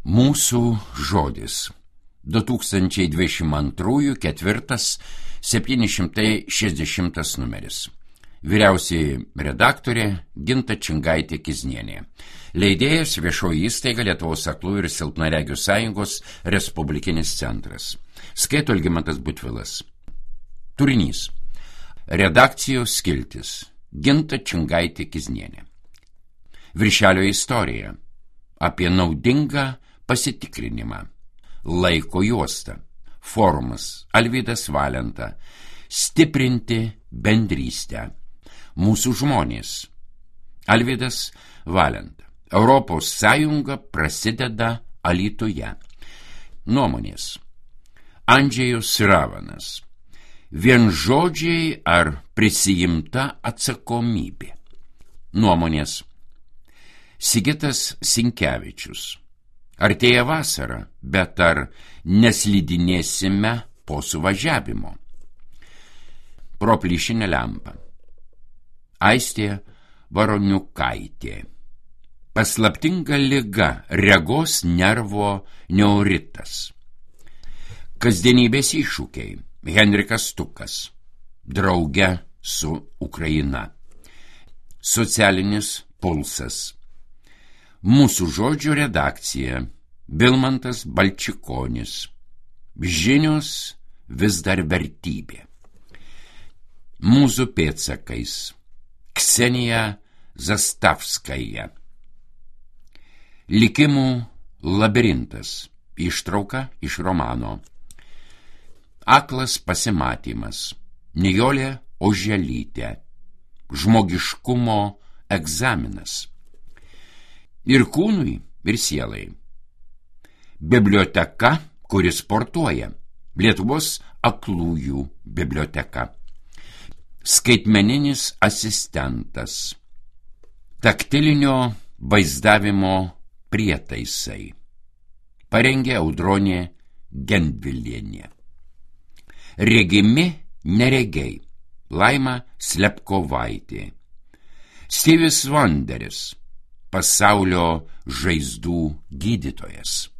Mūsų žodis. 2022 4 760 numeris. Vyriausiai redaktorė Ginta Čingaitė-Kiznienė. Leidėjas Viešoji įstaiga Lietuvos aklųjų ir silpnaregių sąjungos Respublikinis centras. Skaito Algimantas Butvilas. Turinys. Redakcijos skiltis. Ginta Čingaitė-Kiznienė. Viršelio istorija. Apie naudingą pasitikrinimą. Laiko juosta. Forumas. Alvydas Valenta. Stiprinti bendrystę. Mūsų žmonės. Alvydas Valenta. Europos Sąjunga prasideda Alytuje. Nuomonės. Andžejus Ravanas. Vienžodžiai ar prisijimta atsakomybė. Nuomonės. Sigitas Sinkevičius. Artėja vasara, bet ar neslidinėsime po suvažiavimo? Pro plyšinę lempą. Aistė Varoniukaitė. Paslaptinga liga, regos nervo neuritas. Kasdienybės iššūkiai. Henrikas Stukas. Drauge su Ukraina. Socialinis pulsas. Mūsų žodžių redakcija. Vilmantas Balčikonis. Žinios vis dar vertybė. Mūsų pėdsakais. Ksenija Zastavskaja. Likimų labirintas. Ištrauka iš romano. Aklas pasimatymas. Nijolė Oželytė. Žmogiškumo egzaminas. Ir kūnui, ir sielai. Biblioteka, kuri sportuoja. Lietuvos aklųjų biblioteka. Skaitmeninis asistentas. Taktilinio vaizdavimo prietaisai. Parengė Audronė Gendvilienė. Regimi neregiai. Laima Slepkovaitė. Stevis Vanderis. Pasaulio žaizdų gydytojas.